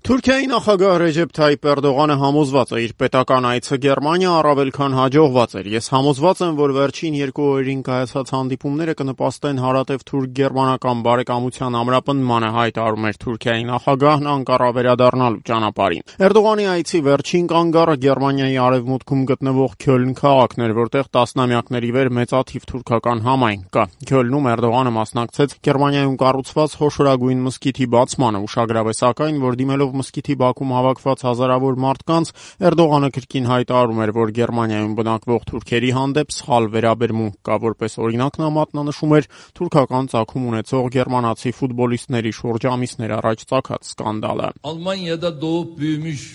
Թուրքիայի նախագահ Ռեջեփ Թայիփ Էրդողանը համոզված է, իր պետական այցը Գերմանիա առավել քան հաջողված էր։ Ես համոզված եմ, որ վերջին 2 օրերին կայացած հանդիպումները կնպաստեն հարատև թուրք-գերմանական բարեկամության ամրապնդմանը, հայտարարում էր Թուրքիայի նախագահն Անկարա վերադառնալու ճանապարհին։ Էրդողանի այցի վերջին կանգառը Գերմանիայի արևմուտքում գտնվող Քյոլն քաղաքն էր, որտեղ տասնամյակների վեր մեծաթիվ թուրքական համայնք կա։ Քյոլնում Էրդողանը մասնակցեց Գերմանիայում կառուցված խոշորագույն մզկիթի բացմանը, ուշագրավ է սակայն, որ դիմելով մզկիթի բակում հավաքված հազարավոր մարդկանց, Էրդողանը կրկին հայտարարում էր, որ Գերմանիայում բնակվող թուրքերի հանդեպ սխալ վերաբերմունք կա, որպես օրինակ նա մատնանշում էր թուրքական ծագում ունեցող գերմանացի ֆուտբոլիստների շուրջ ամիսներ առաջ ծագած սկանդալը։ Almanya'da doğup büyümüş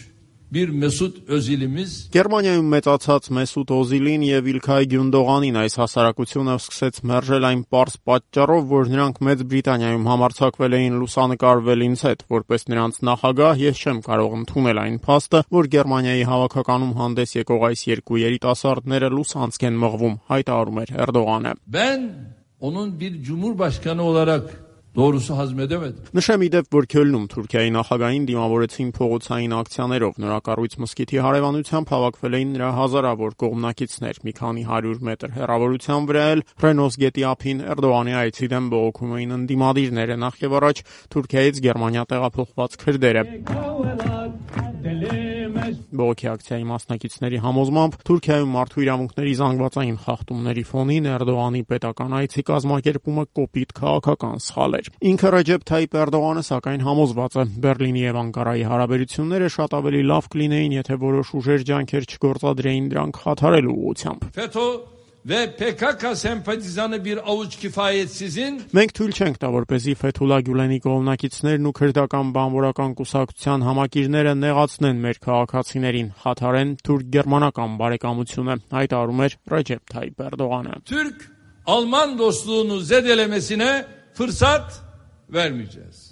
bir Mesut Özil'imiz Գերմանիայում մեծացած Մեսուտ Օզիլին եւ Իլքայ Գյունդողանին այս հասարակությունը սկսեց մերժել այն պարզ պատճառով, որ նրանք Մեծ Բրիտանիայում համարձակվել էին լուսանկարվել ինձ հետ, որպես նրանց նախագահ ես չեմ կարող ընդունել այն փաստը, որ Գերմանիայի հավաքականում հանդես եկող այս երկու երիտասարդները լուսանցք են մղվում, հայտարարում էր Էրդողանը։ Ben onun bir cumhurbaşkanı olarak doğrusu hazmedemedim. Նշեմ իդեպ, որ Քյոլնում Թուրքիայի նախագահին դիմավորեցին փողոցային ակցիաներով, նորակառույց մզկիթի հարևանությամբ հավաքվել էին նրա հազարավոր կողմնակիցներ, մի քանի 100 մետր հեռավորության վրա էլ Ռենոս գետի ափին Էրդողանի այցի դեմ բողոքում էին ընդդիմադիրները, նախ եւ առաջ Թուրքիայից Գերմանիա տեղափոխված քրդերը։ Բողոքի ակցիայի մասնակիցների համոզմամբ Թուրքիայում մարդու իրավունքների զանգվածային խախտումների ֆոնին Էրդողանի պետական այցի կազմակերպումը կոպիտ քաղաքական սխալ էր։ Ինքը Ռեջեփ Թայիփ Էրդողանը սակայն համոզված է, Բերլինի եւ Անկարայի հարաբերությունները շատ ավելի լավ կլինեին, եթե որոշ ուժեր ջանքեր չգործադրեին դրանք խաթարելու ուղղությամբ։ FETÖ ve PKK sempatizanı bir avuç kifayetsizin Մենք թույլ չենք տա, որպեսզի Ֆեթուլա Գյուլենի կողմնակիցներն ու քրդական բանվորական կուսակցության համակիրները նեղացնեն մեր քաղաքացիներին, խաթարեն թուրք-գերմանական բարեկամությունը, հայտարարում էր Ռեջեփ Թայիփ Էրդողանը։ Türk-Alman dostluğunu zedelemesine fırsat vermeyeceğiz.